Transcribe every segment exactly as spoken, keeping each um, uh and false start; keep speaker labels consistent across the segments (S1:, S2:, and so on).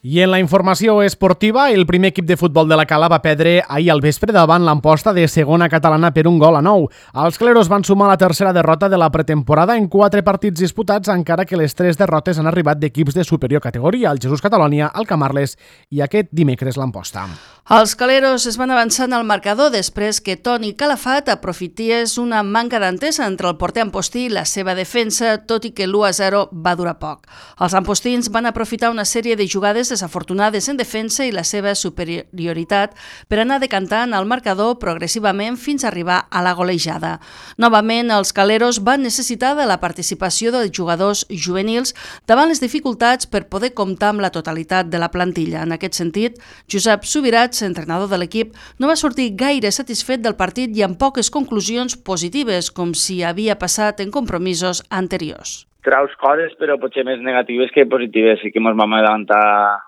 S1: I en la informació esportiva, el primer equip de futbol de la Cala va perdre ahir al vespre davant l'Amposta de segona catalana per un gol a nou. Els cleros van sumar la tercera derrota de la pretemporada en quatre partits disputats, encara que les tres derrotes han arribat d'equips de superior categoria, el Jesús Catalonia, el Camarles i aquest dimecres l'Amposta.
S2: Els caleros es van avançant al marcador després que Toni Calafat aprofités una manca d'entesa entre el porter ampostí i la seva defensa, tot i que l'u a zero va durar poc. Els ampostins van aprofitar una sèrie de jugades desafortunades en defensa i la seva superioritat per anar decantant el marcador progressivament fins a arribar a la golejada. Novament, els caleros van necessitar de la participació dels jugadors juvenils davant les dificultats per poder comptar amb la totalitat de la plantilla. En aquest sentit, Josep Subirats, entrenador de l'equip, no va sortir gaire satisfet del partit i amb poques conclusions positives, com si havia passat en compromisos anteriors.
S3: Traus coses, però potser més negatives que positives. Sí que ens vam adelantar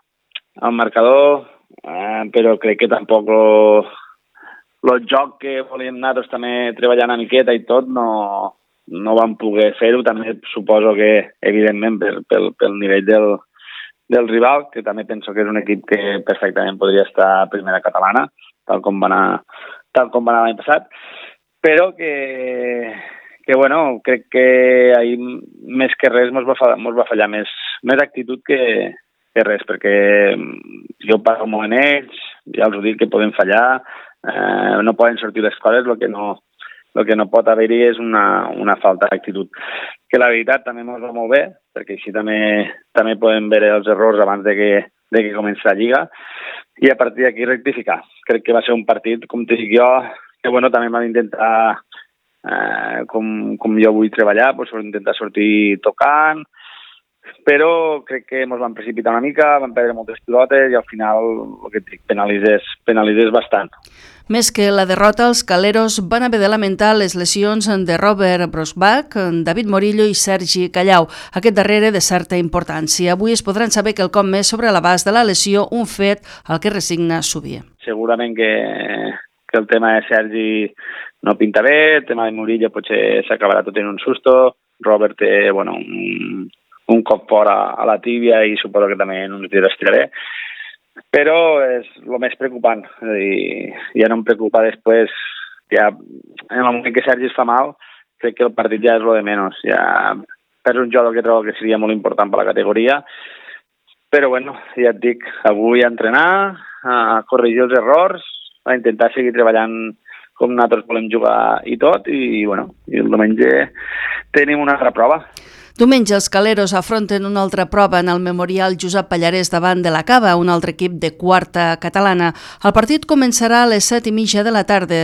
S3: al marcador, eh, però crec que tampoc el, el joc que volíem anar també treballant una miqueta i tot no, no vam poder fer-ho. També suposo que, evidentment, per, pel, pel nivell del, del rival, que també penso que és un equip que perfectament podria estar a primera catalana, tal com va anar, tal com va anar l'any passat, però que, que bueno, crec que ahir més que res mos va, mos va fallar més, més actitud que, que res, perquè jo parlo molt en ells, ja els ho dic que poden fallar, eh, no poden sortir les coses, el que no, el que no pot haver-hi és una, una falta d'actitud. Que la veritat també ens va molt bé, perquè així també també podem veure els errors abans de que, de que comenci la Lliga, i a partir d'aquí rectificar. Crec que va ser un partit, com te dic jo, que bueno, també vam intentar, eh, com, com jo vull treballar, doncs intentar sortir tocant, però crec que ens vam precipitar una mica, vam perdre moltes pilotes i al final el que et dic, penalitzés, penalitzés bastant.
S2: Més que la derrota, els caleros van haver de lamentar les lesions de Robert Brosbach, David Morillo i Sergi Callau, aquest darrere de certa importància. Avui es podran saber quelcom més sobre l'abast de la lesió, un fet al que resigna Subier.
S3: Segurament que, que el tema de Sergi no pinta bé, el tema de Morillo potser s'acabarà tot en un susto, Robert té bueno, un, un cop fora a la tíbia i suposo que també en uns dies estiraré. Però és el més preocupant, és a dir, ja no em preocupa després, ja en el moment que Sergi es fa mal, crec que el partit ja és lo de menys, ja perds un jugador que trobo que seria molt important per la categoria, però bueno, ja et dic, avui a entrenar, a corregir els errors, a intentar seguir treballant com nosaltres volem jugar i tot, i bueno, i el diumenge tenim una altra prova.
S2: Diumenge els caleros afronten una altra prova en el Memorial Josep Pallarès davant de la Cava, un altre equip de quarta catalana. El partit començarà a les set i mitja de la tarda.